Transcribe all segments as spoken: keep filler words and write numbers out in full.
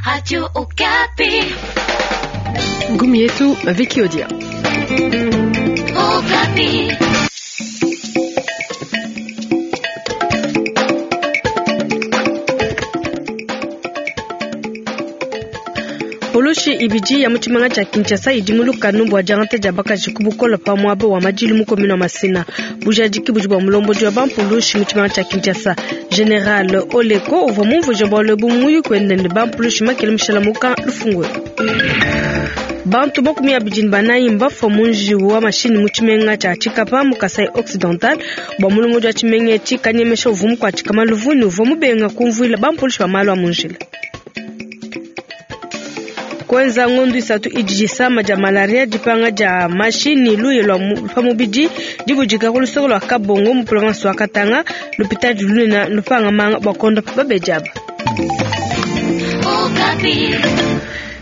Radio Okapi. Ngumi yetu Vicky Odia. Okapi. Poloshi ibidi ya mu tshimanga tshia Kinshasa idi mu lukanu bua diangata dia bakaji ku bukole pa muaba wa madilu mu commune wa Masina. Bujadiki budi bua mulombodi wa bampulushi mu tshimanga tshia Kinshasa General Oleko uvua mumvuije bualu ebu mu muyuki wende ne bampulushi makele mushala muka lufungu. Bantu makumi abidi ne banayi mbafua mu njiwu wa mashinyi mu tshimenga tshia Tshikapa mu Kasai Occidental bua mulombodi wa tshimenga etshi kanyemesha uvua mukuatshika maluvu ne uvua mubenga kumvuila bampulushi ba malu a mu njila. Kwenza ngondu isatu idi disama dia malaria dipanga dia mashi ne luye lua pa mubidi dibudika ku luseke lua Kabongo mu province wa Katanga lupitadi lunene lupanga manga bua kondopa babedi aba.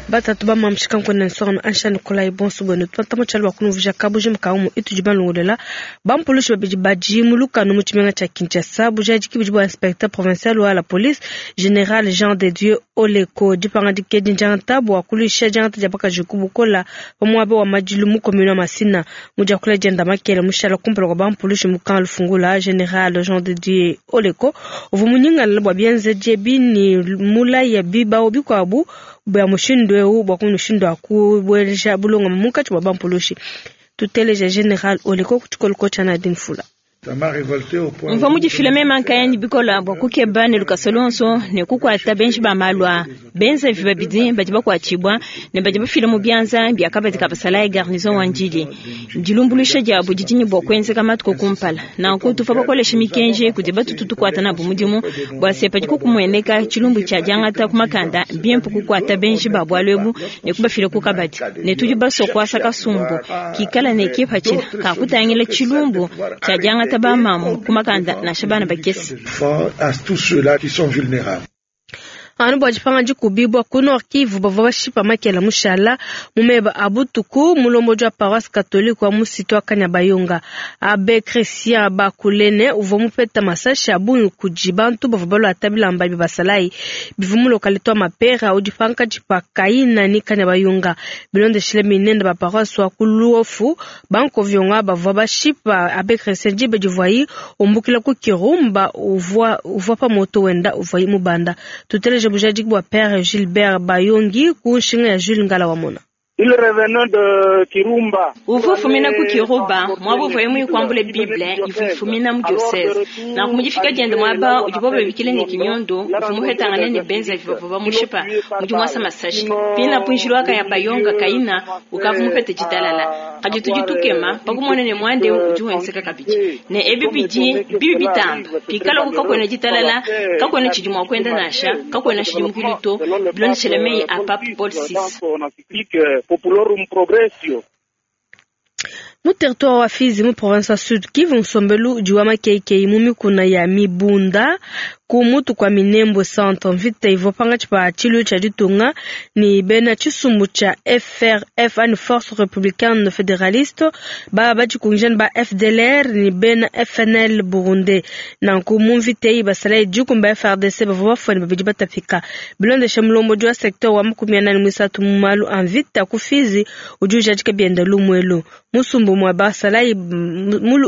Batatu bamamshika nkone nsonga ansha Nikolai bonso bwenu tupata mutshialo bua kunuvija kabuji mukaumu itudi balongolela bampulushi babidi badi mu lukanu mu tshimenga tshia Kinshasa bujadiki budi bua inspecteur provincial wa la police général Jean de Dieu Oleko dipangadika edi ndiangata bua kuluisha diangata dia bakaji ku bukola pa muaba wa madilu mu commune wa Masina mu diakula dienda makele mushala kumpala kua bampulushi mu camp Lufungula général Jean de Dieu Oleko uvua munyingalala bua bienzedi ebi ne mulaya bibawu bikuabu bua mushindu eu bua mushindu wa kubueja bulongama munkatshi bua bampulushi. Tuteleja général Oleko ku tshikoloko tshia Nadine Fula. Mvua mudifile meme nkayandi bikola bua kukeba ne lukasa luonso ne kukuata benji ba malu aa benzavi babidi badi bakuatshibua ne badi bafila mu bianza bia kabadi ka basalayi garnison wa Ndjili. Dilumbuluisha diabu didi ne bua kuenzeka matuku kumpala. Nanku tuvua bakolesha mikenji kudi batutu tukuata nabu mudimu bua se padiku kumueneka tshilumbu tshia diangata ku makanda bimpe kukuata benji ba bualu ebu ne kubafila ku kabadi. Ne tudi basue kuasa kasumbu kikala ne kipatshila ka kutangila tshilumbu tshia diangata ba mamu ku makanda nansha bana bakese. Anu bua dipanga dikubibua ku Nord Kivu bavua bashipa makela mushala mu meba a butuku mulombodi wa paroisse catholique wa musitu wa Kanyabayonga Abbé Christian Bakulene uvua mupeta masashi a bungi kudi bantu bavua baluata bilamba bia basalayi bivua mu localité wa Mapera udi pankatshi pa Kayina ne Kanyabayonga. Bilondeshile minende ba paroisse wa ku Luofu bankovionga bavua bashipa Abbé Christian diba divuayi umbukila ku Kirumba uvua uvua pa moto wenda uvuayi mubanda. Tuteleje bujadiki bua Père Gilbert Bayongi ku nshinga ya Jules Ngala wamona. Il revenait de Kirumba. Uvua ufumina ku Kiruba muaba uvuaye muyikwambule Bible ivua ifumina mu diocese. Nanku mudifika diende muaba udibo babikile ne Kinyondo uvua muhetangane ne benzavi bavua bamushipa mudi muasa masashi. Pina punjilo wa Kanyabayonga Kayina ukavua mupete ditalala. Kadi tudi tukema pakumona ne muanda eu udi wenzeka kabidi. Ne ebi bidi bibi bitamba pikala ku kakuena ditalala kakuena tshidi mua kuenda nansha kakuena tshidimukilu to bilondeshele meyi a Pape Paul six. Populorum Progressio. Mu territoire wa Fizi mu province ya Sud Kivu nsombelu udi wa makeikei mu mikuna ya Mibunda ku mutu kua Minembwe centre mvita ivua pankatshi pa tshilu tshia ditunga ne bena tshisumbu tshia F R F ani Force Républicaine Fédéraliste ba badikungija ne ba F D L R ne bena F N L Burundi. Nanku mu mvita eyi basalayi dikumi ba F R D C bavua bafua ne babidi batapika. Bilondeshe mulombodi wa secteur wa makumi anani muisatu mu malu a mvita ku Fizi udi ujadika bienda lumuelu. Musumbu mwa basalayi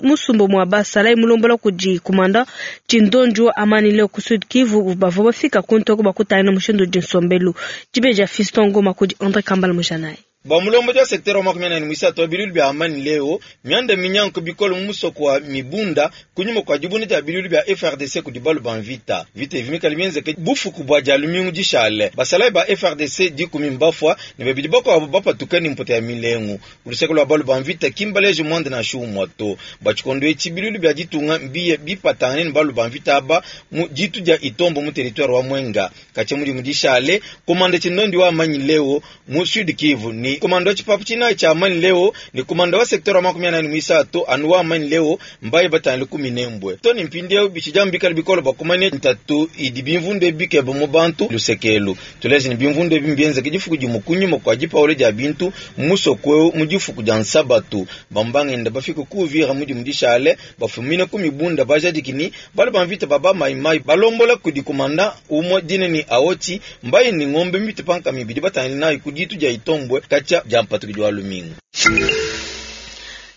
musumbu mwa basalayi mulombola kudi kumanda Tshindonjo wa Amani leo ku Sud Kivu bavua bafika ku ntoko bakutana mushindu udi nsombelu. Dibeja Fiston Ngoma kudi André Kambala Mujanayi. Bua mulombodi wa secteur wa makumi anani muisatu wa bilulu bia Amani leo mianda minyanko bikole mu musoko wa Mibunda kunyuma kua dibunda dia bilulu bia F R D C kudi balu ba mvita. Vita evi mikale mienzeke bufuku bua dia lumingu dishale. Basalayi ba F R D C dikumi mbafua ne babidi bakuabu bapatuke ne mpoto ya milengu. Ku luseke lua balu ba mvita kimbaleje muanda nansha umue to. Bua tshikondo etshi bilulu bia ditunga mbiye bipatangane ne balu ba mvita aba mu ditu dia Itombo mu territoire wa Mwenga. Katshia mudimu dishale, komanda Tshindondi wa Amani leo mu Sud Kivu ne Ni komanda wa tshipapu tshinayi tshia amani leo ni komanda wa sekteur wa makumi anayi ne muisatu anu wa amani leo mbaye batangile ku Minembwe. To ni mpindieu bitshidi amu bikale bikole bua kumanya ntatu idi bimvundu ebi bikeba mu bantu lusekelu. Tuleje ni bimvundu ebi mbienzeke difuku dimue kunyima kua dipawula dia bintu mu musoko eu mu difuku dia Nsabatu. Bambangenda bafike ku Uvira mudimu dishale bafumine ku mibunda bajadiki ni bale ba mvita baba maimai balombola kudi komanda umue dina ni Aoti mbaye ni ngombe mipite pa nkama ibidi batangile nayi ku ditu dia Itombwe katshia dia mpatukidi wa lumingu.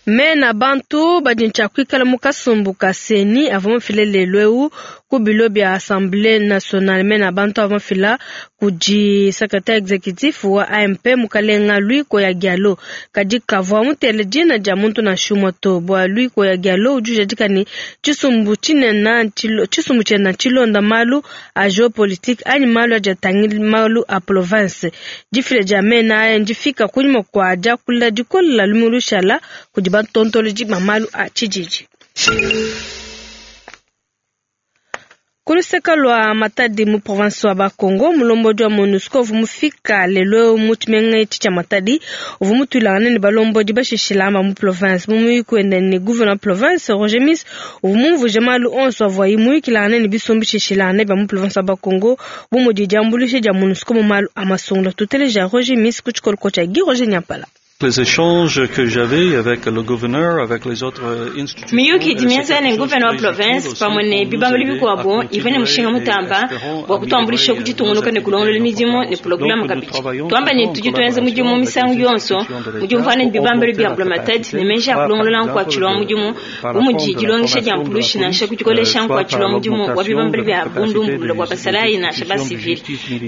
Mena bantu badi ntshia kuikala mu kasumbu ka CENI avua mafila lelu eu ku bilo bia Assemblée nationale. Mena bantu avua mafila kudi secrétaire exécutif wa A M P mukalenga Louis Koya Gialo. Kadi kavua mutele dina dia muntu nansha umue to. Bua Louis Koya Gialo udi ujadika ne tshisumbu tshinene tshilo-, tshisumbu tshiena tshilonda malu a géopolitique anyi malu adi atangila malu a province. Difila dia mena aya ndifika kunyima kua diakula dikola lumu lushala kudi bantontolodi ba malu a tshididi. Kuluseka lua Matadi mu province wa Bakongo, mulombodi wa MONUSCO uvua mufika lelo mu tshimenga etshi tshia Matadi, uvua mutuilangane ne balombodi bashishilamba mu province. Mu muyuki wende ne gouverneur province Roger Miss uvua mumvuije malu onso avuaye muyukilangane ne bisumbu bishishilangane bia mu province wa Bakongo, bu mudi diambuluisha dia MONUSCO mu malu a masungula. Tuteleja Roger Miss ku tshikoloko tshia Guy Roger Nyampala. Les échanges que j'avais avec le gouverneur, avec les autres institutions. Miyuki dimienza ne gouverneur wa province pamwe ne bibambelo bikuabo ivene mushinga mutamba bua kutuambulisha kuditungunuka ne kulongolola midimu ne programu kabidi. Tuamba ne tudi tuenza mudimu misangu yonso mudi umvana ne bibambelo bia mbulamatadi ne meji a kulongolola nkuatshilo wa mudimu bu mudi dilongesha dia mpulushi nansha kudikolesha nkuatshilo wa mudimu wa bibambelo bia bundumbulula bua basalayi nansha ba civil.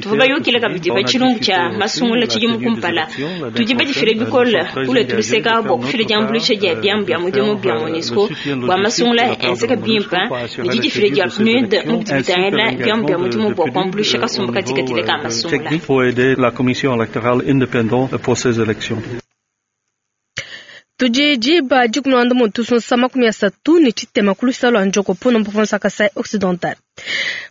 Tuvua bayukile kabidi pa tshilumbu tshia masungula tshidimu kumpala. Tudi badifile bikole kule tuluseka bua kufila diambuluisha dia biamu bia mudimu bia MONUSCO bua masungula enzeka bimpe ne didifila dia P N U D mu bidi bitangila biamu bia mudimu bua kuambuluisha kasumbu katikati ka masungula. Pour aider la commission électorale indépendante pour ces élections. Tudi diba dikumi na mutu sonsa makumi asatu ne tshitema ku lusala lua Njoko pona mu province ya Kasai Occidental.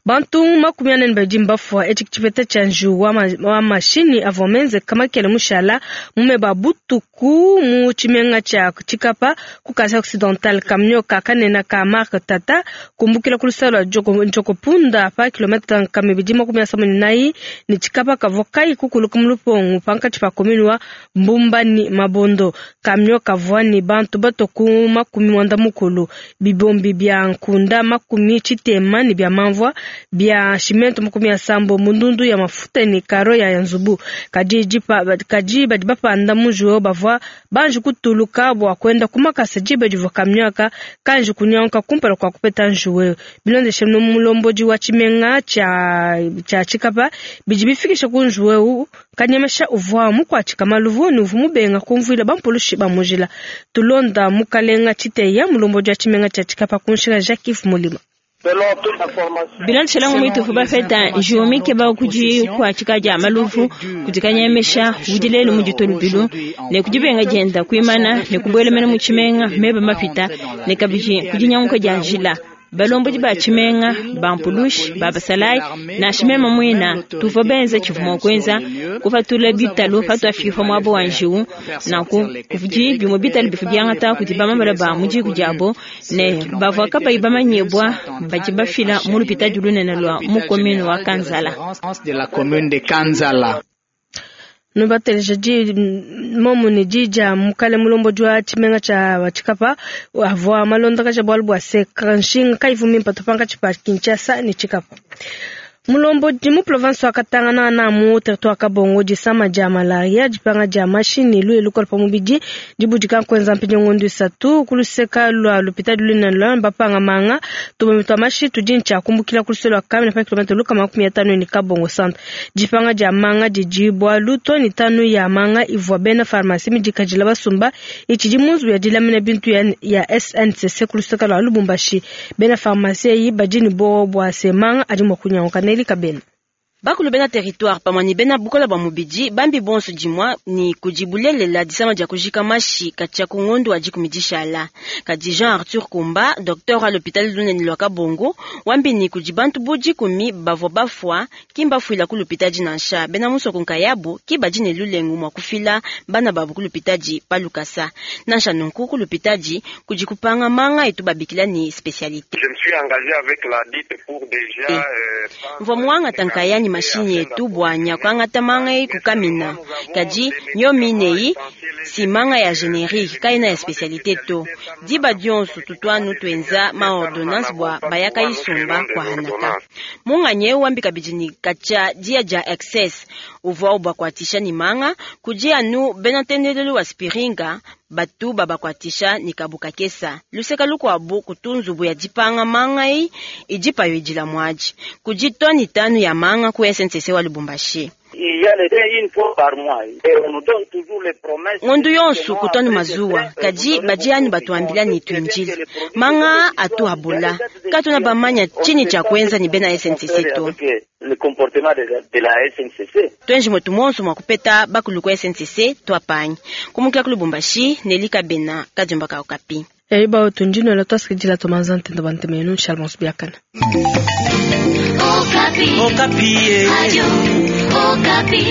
Bantu makumi ane ne babidi mbafua etshi tshipeta tshia njiwu wa ma-, wa mashini avua menzeka makele mushala mume ba butuku mu tshimenga tshia Tshikapa ku Kasai Occidental. Kamio ka kanena ka marque Tata kumbukila ku lusala lua Njoko, Njoko punda pa kilomètre nkama ibidi makumi asambombo ne inayi ne Tshikapa kavua kayi kukuluka mu lupongo pankatshi pa commune wa Mbumba ne Mabondo. Kamio kavua ne bantu bato ku makumi muanda mukulu, bibombi bia nkunda makumi tshitema ne bia mamvua bia cimento makumi asambo, mundundu ya mafuta ne karo ya nzubu. Kadi dipa, kadi badi bapanda mujuo bavua banji kutuluka bua kwenda kumakasa diba divua kamio aka kanji kunyanka kumpala kua kupeta njuwe. Bilondeshe no mulombodi wa tshimenga tshia, tshia Tshikapa bidi bifikisha ku njuwe kanyemesha uvua mukuatshika maluvu ne uvua mubenga kumvuila bampulushi ba mujila. Tulonda mukalenga Tshiteya mulombodi wa tshimenga tshia Tshikapa kunshila Jacques Mulima. Bilondeshela ngomwe tufu bafeta njuwe keba kudi kuatshika dia maluvu kudi kanyemesha udi lelu mu ditolubilu ne kudi benga dienda kuimana ne kubuelemena mu tshimenga meba mapita ne kabidi kudi nyanguka dia njila. Balombodi ba tshimenga, ba mpulushi, ba basalayi, nansha meme muina, tuvua benza tshivua mua kuenza, kupatula bitalu patuafika muaba wa njiwu, nanku kudi bimue bitalu bivua biangata kudi bamamala ba mu diku diabo, ne bavua kabayi bamanyibua badi bafila mu lupitadi lunene lua mu commune wa Kanzala. Nubateleja di momu ne di dia mukale mulombodi wa tshimenga tshia Tshikapa avua malondakaja bualu bua se kanshinga kayivu mimpe pankatshi pa Kinshasa ne Tshikapa. Mulombodi mu province wa Katanga na mu territoire Kabongo disama dia malaria dipanga dia mashini luye lukola pa mubidi dibudika kwenza mpinyo ngondu isatu kuluseka lwa lupitadi lunene lwa bapanga manga tubemi twa mashi tudi ntshia kumbukila kuluseka lwa kamina pa kilomètre luka makumi atanu ni Kabongo centre. Dipanga dia manga didi bwalu toni tanu ya manga ivua bena pharmacie midikadila basumba itshidi munzu ya dilamina bintu ya, ya S N C C kuluseka lwa Lubumbashi. Bena pharmacie yi badi ni bo bwa se manga adi mwa kunyanguka Nelly Kabena. Bakulu bena territoire pamwe ni bena bukola bwa mubidi bambi bonso dimwa ni kujibulelela disama dia kujika mashi katia ku ngondo wa dikumi dishala. Kadi Jean Arthur Kumba, docteur à l'hôpital lunene lwa Kabongo, wambi ni kudi bantu bu dikumi bavua bafua kimba fuila ku lupitadi nansha bena musoko nkayabu ki badi ne lulengu mwa kufila bana babu ku lupitadi pa lukasa. Nansha nunku ku lupitadi kudi kupanga manga etu babikila ni spécialité. Je me suis engagé avec la dite pour déjà euh, Mvua muangata nkayani mashini yetu bwanya kwangata manga yi kukamina kadi nyomi neyi si manga ya générique kaina ya spécialité to diba dionso tutwanu twenza ma ordonnance bwa bayaka isumba kwa hanaka munganye wambi kabidi ni kacha dia ja excess uvua ubakwatisha ni manga kudi anu bena tendelelu wa spiringa batu babakwatisha ni kabuka kesa luseka lukwabu kutunzubu ya dipanga manga yi idipayo idila mwaji kudi toni tanu ya manga ku S N C C wa Lubumbashi. Ngondu yonsu kutwanu mazuwa kadi badi batuambila ni twinjili manga atu abola katuna bamanya chini cha kwenza ni bena S N C C to twenji mwetu monso mwa kupeta bakulu ku S N C C twapanyi kumukila ku Lubumbashi nelika bena kadiomba ka Okapi. Yaiba otunjino la twasikidila tomanza ntendo bantemenu Charles Biakana. Okapi. Okapi. Radio Okapi.